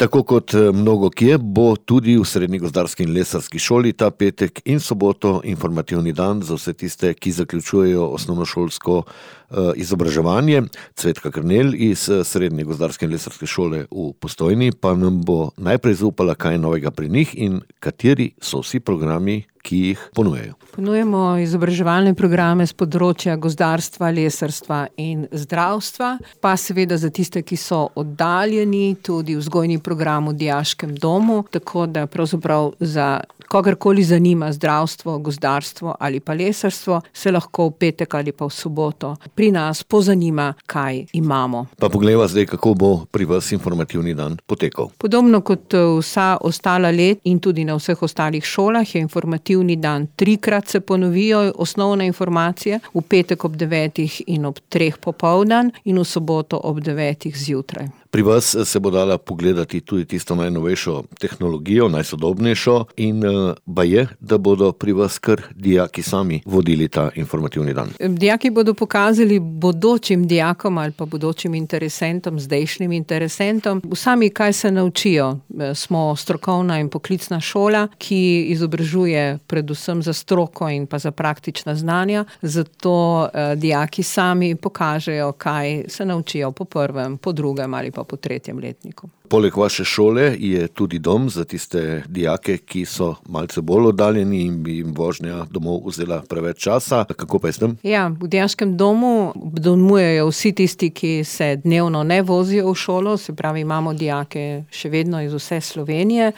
Tako kot mnogo kje bo tudi v Srednji gozdarski in lesarski šoli ta petek in soboto informativni dan za vse tiste, ki zaključujejo osnovnošolsko izobraževanje. Cvetka Krnelj iz Srednje gozdarske in lesarske šole v Postojni pa nam bo najprej zaupala, kaj je novega pri njih in kateri so vsi programi, ki jih ponujajo. Ponujemo izobraževalne programe z področja gozdarstva, lesarstva in zdravstva, pa seveda za tiste, ki so oddaljeni, tudi vzgojni program v dijaškem domu, tako da pravzaprav za kogarkoli zanima zdravstvo, gozdarstvo ali pa lesarstvo, se lahko v petek ali pa v soboto pri nas pozanima, kaj imamo. Pa poglejva zdaj, kako bo pri vas informativni dan potekal. Podobno kot vsa ostala let in tudi na vseh ostalih šolah je informativni dan 3-krat se ponovijo osnovne informacije, v petek ob 9 in ob 3 popoldan in v soboto ob 9 zjutraj. Pri vas se bo dala pogledati tudi tisto najnovejšo tehnologijo, najsodobnejšo in baje, da bodo pri vas kar dijaki sami vodili ta informativni dan. Dijaki bodo pokazali bodočim dijakom ali pa bodočim interesentom, zdajšnjim interesentom, sami kaj se naučijo. Smo strokovna in poklicna šola, ki izobražuje predvsem za stroko in pa za praktična znanja, zato dijaki sami pokažejo, kaj se naučijo po 1., po 2. ali pa po 3. letniku. Poleg vaše šole je tudi dom za tiste dijake, ki so malce bolj oddaljeni in bi jim vožnja domov vzela preveč časa. Kako pa je s tem? Ja, v dijaškem domu domujejo vsi tisti, ki se dnevno ne vozijo v šolo, se pravi, imamo dijake še vedno iz vse Slovenije.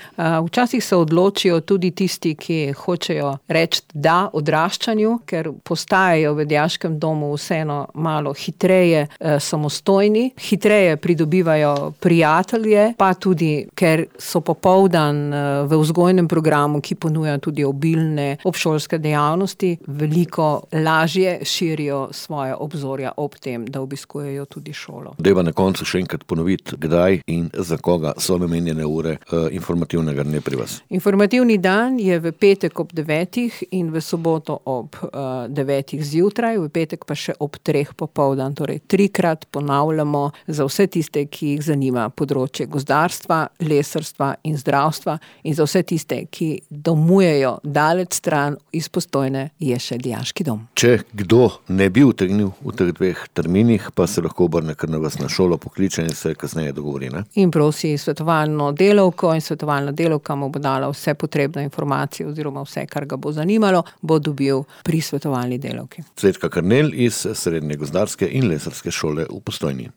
Včasih se odločijo tudi tisti, ki hočejo reči da odraščanju, ker postajajo v dijaškem domu vseeno malo hitreje samostojni, hitreje pridobivajo prijatelje, pa tudi, ker so popoldan v vzgojnem programu, ki ponuja tudi obilne obšolske dejavnosti, veliko lažje širijo svoje obzorja ob tem, da obiskujejo tudi šolo. Dajva na koncu še enkrat ponoviti, kdaj in za koga so namenjene ure informativnega dne pri vas. Informativni dan je v petek ob 9 in v soboto ob 9 zjutraj, v petek pa še ob 3 popoldan, torej 3-krat ponavljamo za vse tiste, ki jih zanima področje gozdarstva, lesarstva in zdravstva in za vse tiste, ki domujejo daleč stran iz Postojne, je še dijaški dom. Če kdo ne bi utegnil v teh 2 terminih, pa se lahko obrne kar na vas na šolo, pokliče in se kasneje dogovori, ne? In prosi svetovalno delavko in svetovalna delavka mu bo dala vse potrebne informacije oziroma vse, kar ga bo zanimalo, bo dobil pri svetovalni delavki. Cvetka Krnelj iz Srednje gozdarske in lesarske šole v Postojni.